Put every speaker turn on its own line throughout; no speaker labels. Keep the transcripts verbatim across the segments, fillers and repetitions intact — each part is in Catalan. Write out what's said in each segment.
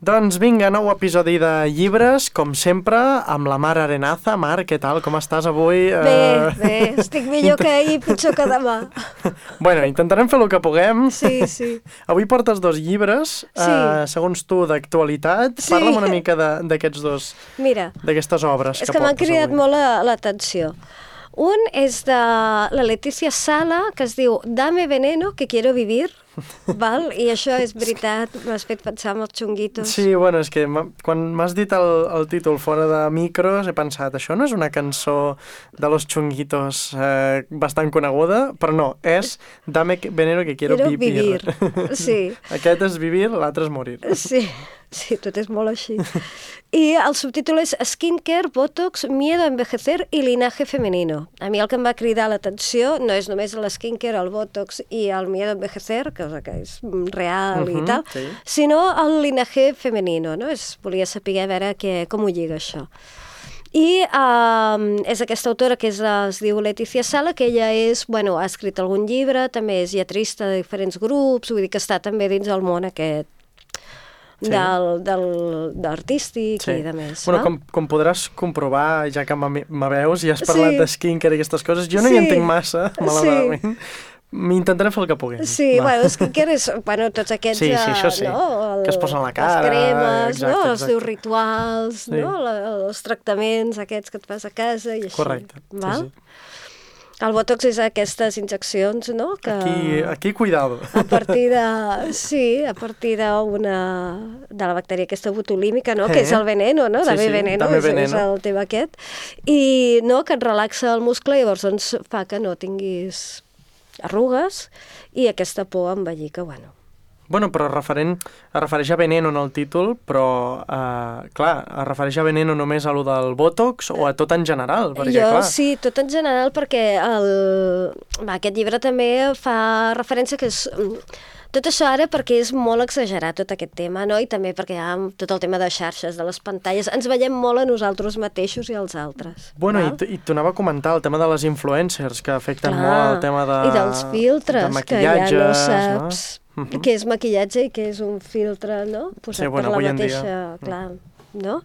Doncs vinga, nou episodi de llibres, com sempre, amb la Mar Arenaza. Mar, què tal? Com estàs avui?
Bé, bé, estic millor que ahir, pitjor que demà.
Bueno, intentarem fer el que puguem.
Sí, sí.
Avui portes dos llibres,
Sí.
eh, segons tu, d'actualitat.
Sí.
Parla'm una mica de- d'aquests dos,
Mira,
d'aquestes obres
és
que
que m'han
portes
cridat
avui.
molt la- l'atenció. Un és de la Letícia Sala, que es diu Dame veneno que quiero vivir, val? I això és veritat, m'has fet pensar en els xunguitos.
Sí, bueno, és que m'ha- quan m'has dit el, el títol fora de micros he pensat, això no és una cançó de los chunguitos eh, bastant coneguda, però no, és Dame que- veneno que quiero,
Quiero
vivir.
vivir, sí.
Aquest és vivir, l'altre és morir.
Sí, sí, tot és molt així. I el subtítol és Skincare, Botox, Miedo a envejecer i Linaje femenino. A mi el que em va cridar l'atenció no és només el skincare, el Botox i el Miedo a envejecer, cosa que és real
Mhm,
i tal,
sí.
sinó el Linaje femenino, no? És, volia saber a veure què, com ho lliga això. I um, és aquesta autora que és, es diu Letícia Sala, que ella és, bueno, ha escrit algun llibre, també és lletrista de diferents grups, vull dir que està també dins del món aquest
Sí.
del, del, d'artístic
Sí.
i de més.
Bueno,
val?
com, com podràs comprovar, ja que me me veus i has parlat
Sí.
de skincare i aquestes coses, jo no
Sí.
hi entenc massa, malauradament. M'intentaré fer el que puguem.
Sí,
Va.
bueno, skincare és, bueno, tots aquests,
Sí, sí, això sí.
eh, no? El,
Que es posen a la cara,
les cremes,
exacte,
no? Els
exacte.
teus rituals,
Sí.
no? La, els tractaments aquests que et fas a casa i així.
Correcte, sí,
val?
sí.
El botox és aquestes injeccions, no? Que
Aquí, aquí cuidado.
a partir de... Sí, a partir d'una... de la bactèria aquesta botulímica, no?
Eh.
Que és el veneno, no?
Sí,
Dame
sí,
veneno,
dame
és, és
veneno.
el tema aquest. I, no?, que et relaxa el muscle i llavors doncs, fa que no tinguis arrugues i aquesta por a envellir, que, bueno...
Bueno, però referent, es refereix a veneno en el títol, però, eh, clar, es refereix a veneno només a lo del Botox o a tot en general? Perquè,
jo
clar,
sí, tot en general, perquè el... Va, aquest llibre també fa referència que és... Tot això ara perquè és molt exagerat, tot aquest tema, no? I també perquè hi ha tot el tema de xarxes, de les pantalles. Ens veiem molt a nosaltres mateixos i als altres.
Bueno, i,
val?
t- i t'ho anava a comentar, el tema de les influencers, que afecten
Clar,
molt el tema de...
I dels filtres,
de
que ja no
maquillatges,
saps
no? Mhm.
què és maquillatge i què és un filtre, no? Posat
Sí, bueno,
per
avui
la
en dia.
mateixa... Clar, no?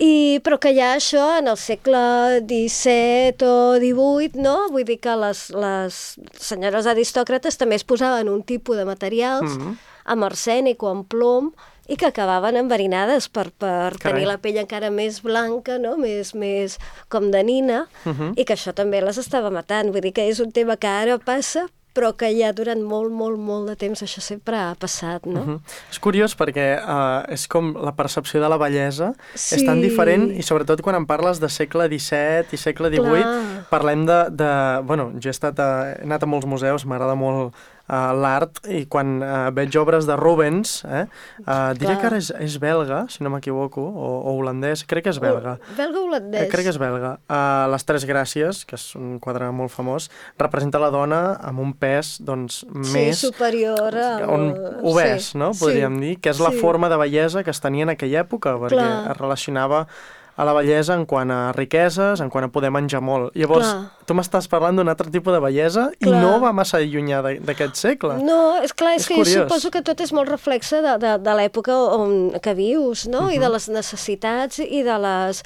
I, però que hi ha això en el segle disset o divuit, no? Vull dir que les, les senyores aristòcrates també es posaven un tipus de materials
Mhm.
amb arsènic o amb plom i que acabaven enverinades per, per
Carai.
tenir la pell encara més blanca, no? més, més com de nina,
Mhm.
i que això també les estava matant. Vull dir que és un tema que ara passa, però que ja durant molt, molt, molt de temps això sempre ha passat, no?
Mhm. És curiós perquè uh, és com la percepció de la bellesa
Sí.
és tan diferent i sobretot quan em parles de segle disset i segle divuit
Clar.
parlem de, de... Bueno, jo he, estat a, he anat a molts museus, m'agrada molt uh, l'art i quan uh, veig obres de Rubens, eh, uh, diré
Clar.
que ara és, és belga, si no m'equivoco, o, o holandès, crec que és belga.
Belga holandès.
Eh, crec que és belga. Uh, les Tres Gràcies, que és un quadre molt famós, representa la dona amb un pes doncs, més...
Sí, superior al...
on obès,
sí,
no? Podríem
sí,
dir, que és la
sí.
forma de bellesa que es tenia en aquella època, perquè
Clar.
es relacionava a la bellesa en quant a riqueses, en quant a poder menjar molt. Llavors,
Clar.
tu m'estàs parlant d'un altre tipus de bellesa i
Clar.
no va massa llunyà de- d'aquest segle.
No, és clar, és,
És
que
curiós.
jo suposo que tot és molt reflexe de, de, de l'època on que vius, no? I de les necessitats i de les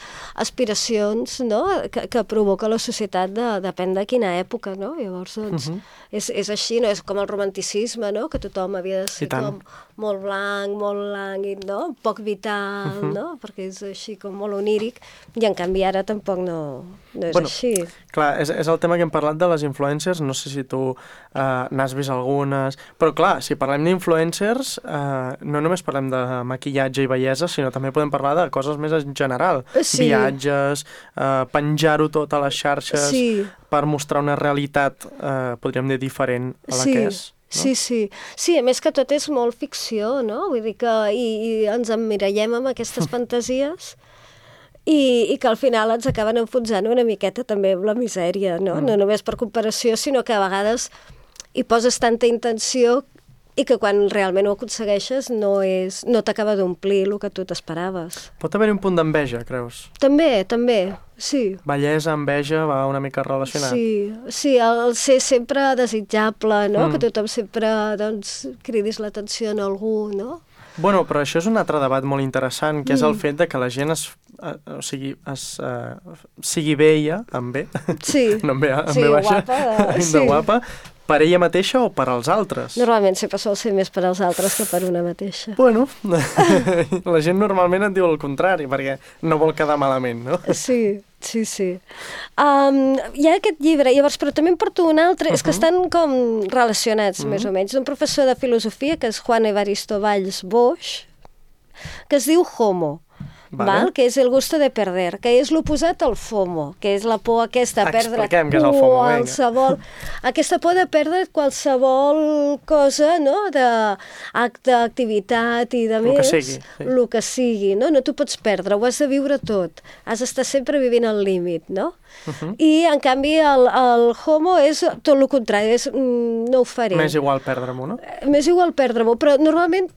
aspiracions, no? Que, que provoca la societat, de, depèn de quina època, no? Llavors, doncs,
Mhm.
és, és així, no? És com el romanticisme, no? Que tothom havia de ser
I tant.
com molt blanc, molt lànguid, no? Poc vital,
Mhm.
no? Perquè és així com molt oníric, i en canvi ara tampoc no, no és
Bueno,
així.
Clar, és, és el tema que hem parlat de les influencers, no sé si tu eh, n'has vist algunes, però clar, si parlem d'influencers, eh, no només parlem de maquillatge i bellesa, sinó també podem parlar de coses més en general.
Sí.
Viatges, eh, penjar-ho tot a les xarxes
Sí.
per mostrar una realitat, eh, podríem dir, diferent a la
Sí,
que és. No?
sí, sí. Sí, a més que tot és molt ficció, no? Vull dir que i, i ens emmirallem amb aquestes fantasies i, i que al final ens acaben enfonsant una miqueta també amb la misèria, no?
Mm.
No només per comparació, sinó que a vegades hi poses tanta intenció i que quan realment ho aconsegueixes no, és, no t'acaba d'omplir el que tu t'esperaves.
Pot haver-hi un punt d'enveja, creus?
També, també, sí.
Bellesa, enveja, va una mica relacionat.
Sí, sí, el ser sempre desitjable, no?
Mm.
Que tothom sempre, doncs, cridis l'atenció en algú, no?
Bueno, però això és un altre debat molt interessant, que és el
Mm.
fet de que la gent es, eh, o sigui, es, eh, sigui bella, amb B,
Sí.
no amb B, amb
Sí,
B baixa,
guapa,
de
sí.
guapa, per ella mateixa o per als altres?
Normalment sempre sol ser més per als altres que per una mateixa.
Bueno, la gent normalment et diu el contrari, perquè no vol quedar malament, no?
Sí, sí, sí. Um, hi ha aquest llibre, llavors, però també en porto un altre, uh -huh. és que estan com relacionats, uh -huh. més o menys, d'un professor de filosofia, que és Juan Evaristo Valls Boix, que es diu Homo,
Vale.
val? Que és el gusto de perder, que és l'oposat al FOMO, que és la por aquesta a perdre
Expliquem què és el FOMO, vinga.
qualsevol, aquesta por de perdre qualsevol cosa, no?, d'acte, activitat i de
Lo que
més,
sigui, sí.
el que sigui, no? No t'ho pots perdre, ho has de viure tot, has d'estar sempre vivint al límit, no?
Uh -huh.
I, en canvi, el, el Homo és tot el contrari, és, mm, no ho faré.
M'és igual perdre-m'ho, no?
M'és igual perdre-m'ho, però normalment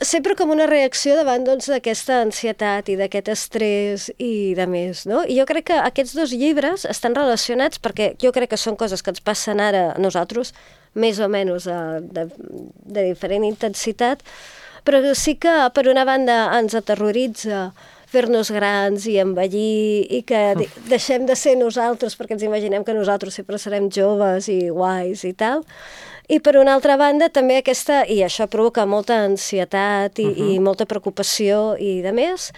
sempre com una reacció davant doncs, d'aquesta ansietat i d'aquest estrès i de més, no? I jo crec que aquests dos llibres estan relacionats perquè jo crec que són coses que ens passen ara a nosaltres, més o menys de, de, de diferent intensitat, però sí que per una banda ens aterroritza fer-nos grans i envellir i que de deixem de ser nosaltres perquè ens imaginem que nosaltres sempre serem joves i guais i tal. I per una altra banda també aquesta, i això provoca molta ansietat i, uh -huh. i molta preocupació i de més,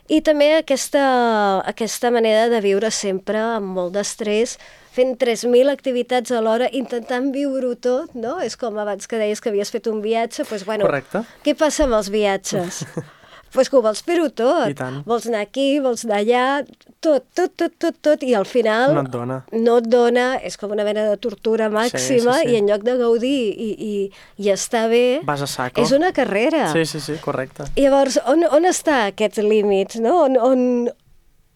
i també aquesta, aquesta manera de viure sempre amb molt d'estrès, fent tres mil activitats alhora, intentant viure-ho tot, no? És com abans que deies que havies fet un viatge, doncs, bueno,
correcte.
Què passa amb els viatges? Pues que ho vols fer-ho tot.
I tant.
Vols anar aquí, vols anar allà, tot, tot, tot, tot, tot, i al final
No et dona.
no et dona, és com una mena de tortura màxima,
Sí, sí, sí.
i en lloc de gaudir i, i, i estar bé,
Vas a saco.
és una carrera.
Sí, sí, sí, correcte.
I llavors, on, on està aquests límits, no? On, on,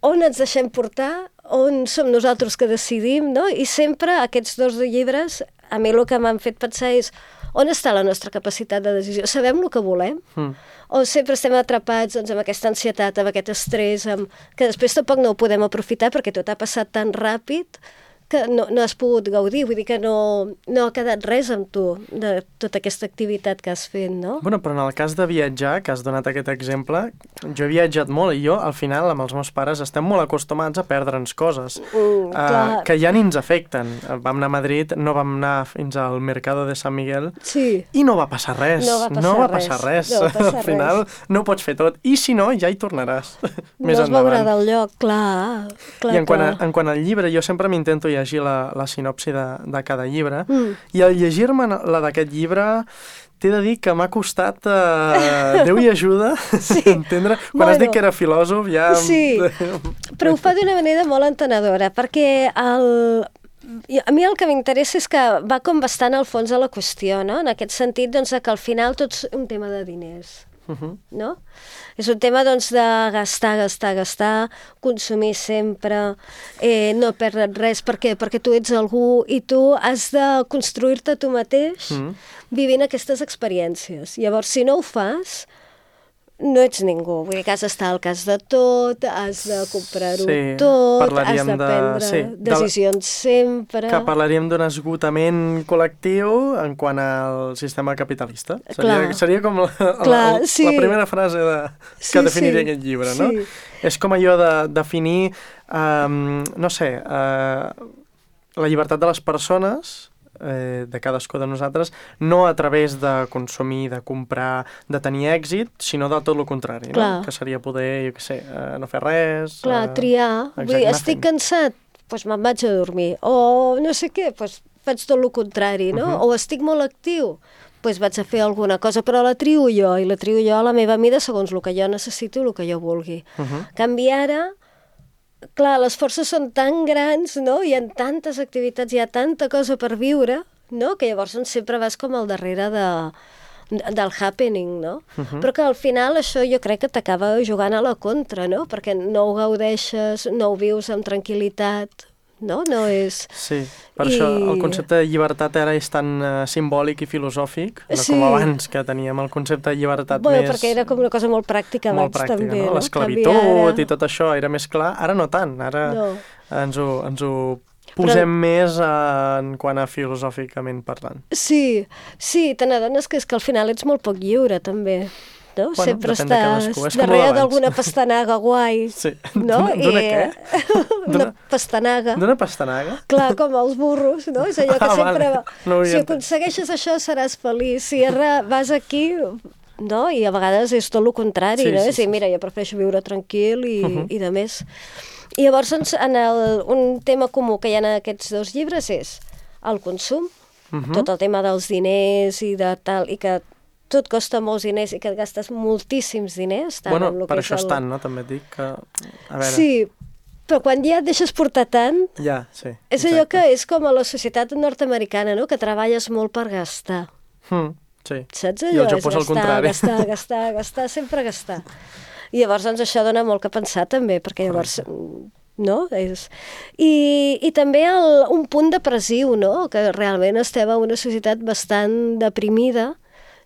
on ens deixem portar, on som nosaltres que decidim, no? I sempre aquests dos llibres, a mi el que m'han fet pensar és on està la nostra capacitat de decisió? Sabem el que volem?
Mm.
O sempre estem atrapats doncs, amb aquesta ansietat, amb aquest estrès, amb... que després tampoc no ho podem aprofitar perquè tot ha passat tan ràpid que no, no has pogut gaudir, vull dir que no, no ha quedat res amb tu de tota aquesta activitat que has fet, no?
Bueno, però en el cas de viatjar, que has donat aquest exemple, jo he viatjat molt i jo, al final, amb els meus pares, estem molt acostumats a perdre'ns coses
Mm,
uh, que ja ni ens afecten. Vam anar a Madrid, no vam anar fins al Mercado de San Miguel
Sí.
i no va passar res.
No va passar
no va
res.
passar res.
No va passar
al final
res.
no ho pots fer tot. I si no, ja hi tornaràs. Més
no es veurà
endavant.
del lloc, clar. clar
I en quant, a,
clar.
en quant al llibre, jo sempre m'intento llegir la, la sinopsi de, de cada llibre,
Mm.
i al llegir-me la d'aquest llibre t'he de dir que m'ha costat, eh, Déu i ajuda,
Sí.
entendre. Quan
Bueno.
has dit que era filòsof, ja...
Sí, però ho fa d'una manera molt entenedora, perquè el... i a mi el que m'interessa és que va com bastant al fons de la qüestió, no? En aquest sentit, doncs, que al final tot és un tema de diners.
Uh -huh.
No? És un tema doncs, de gastar, gastar, gastar, consumir sempre, eh, no perdre't res. Per què? Perquè tu ets algú i tu has de construir-te tu mateix
Mm.
vivint aquestes experiències. Llavors, si no ho fas, no ets ningú. Vull dir que has d'estar al cas de tot, has de comprar-ho
Sí,
tot, has
parlaríem
de
de-
prendre
sí, de la-
decisions sempre.
Que parlaríem d'un esgotament col·lectiu en quant al sistema capitalista. Seria,
Clar.
seria com la,
Clar,
la,
sí.
la primera frase de, que
Sí,
definiria
sí,
aquest llibre, no?
sí.
És com allò de definir, um, no sé, uh, la llibertat de les persones, eh, de cadascú de nosaltres, no a través de consumir, de comprar, de tenir èxit, sinó del tot el contrari,
Clar.
no? Que seria poder, jo què sé, uh, no fer res...
Clar,
uh,
triar. Vull dir,
exacte,
estic
nothing.
cansat, doncs me'n vaig a dormir. O no sé què, doncs faig tot el contrari, no?
Mhm.
O estic molt actiu, doncs vaig a fer alguna cosa, però la trio jo, i la trio jo a la meva mida segons el que jo necessito i el que jo vulgui.
Uh -huh.
En canvi ara, clar, les forces són tan grans, no? Hi ha tantes activitats, hi ha tanta cosa per viure, no? Que llavors doncs, sempre vas com al darrere de, del happening, no?
Uh -huh.
Però que al final això jo crec que t'acaba jugant a la contra, no? Perquè no ho gaudeixes, no ho vius amb tranquil·litat, no? No és...
Sí, per
I-
això el concepte de llibertat ara és tan uh, simbòlic i filosòfic, no
Sí.
com abans, que teníem el concepte de llibertat
Bueno,
més...
perquè era com una cosa molt pràctica
molt
abans
pràctica,
també,
no?
no?
L'esclavitud
Canviar ara-
i tot això era més clar, ara no tant, ara
No.
ens, ho, ens ho posem més uh, en quant a filosòficament parlant.
Sí, sí, te n'adones que és que al final ets molt poc lliure, també. no?
Bueno,
Sempre
depèn de
estàs
cadascú, és com
darrere
l'abans.
d'alguna pastanaga guai,
Sí.
no?
D'una- d'una
I,
què?
Una
D'una-
pastanaga.
D'una pastanaga?
Clar, com els burros, no? És allò que
Ah,
sempre...
vale. No ho havia
si
entès.
aconsegueixes això seràs feliç, si ara vas aquí... No? I a vegades és tot el contrari,
Sí,
no?
sí,
És dir,
sí.
mira, jo prefereixo viure tranquil i,
Uh-huh.
i de més. I llavors, doncs, en el, un tema comú que hi ha en aquests dos llibres és el consum,
Mhm.
tot el tema dels diners i de tal, i que tot costa molts diners i que et gastes moltíssims diners. Tant
Bueno,
en el
per
que és
això
el...
estan, no? També et dic que... A veure...
Sí, però quan ja et deixes portar tant,
Ja, sí.
és allò que és com a la societat nord-americana, no? Que treballes molt per gastar.
Mm, sí.
Saps
I
allò?
el
És
Japó és el
gastar,
contrari.
gastar, gastar, gastar, sempre gastar. I llavors, doncs, això dona molt que pensar, també, perquè llavors... No? És... I, I també el, un punt depressiu, no? Que realment estem en una societat bastant deprimida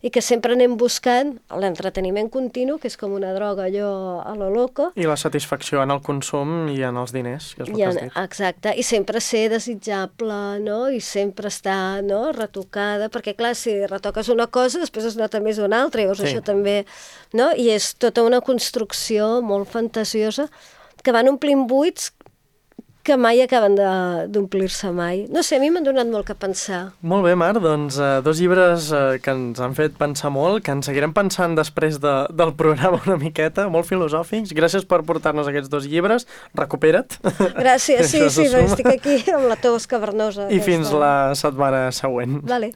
i que sempre anem buscant l'entreteniment continu, que és com una droga, allò a lo loco.
I la satisfacció en el consum i en els diners, que és el
I
que
en,
has dit.
exacte, i sempre ser desitjable, no? I sempre estar, no?, retocada, perquè clar, si retoques una cosa, després es nota més una altra, llavors
Sí.
això també, no? I és tota una construcció molt fantasiosa que van omplint buits que mai acaben de- d'omplir-se mai. No sé, a mi m'han donat molt que pensar.
Molt bé, Mar, doncs eh, dos llibres eh, que ens han fet pensar molt, que ens seguirem pensant després de, del programa una miqueta, molt filosòfics. Gràcies per portar-nos aquests dos llibres. Recupera't.
Gràcies, sí,
Això
sí,
se suma.
estic aquí amb la tos cavernosa.
I
aquesta.
fins la setmana següent.
Vale.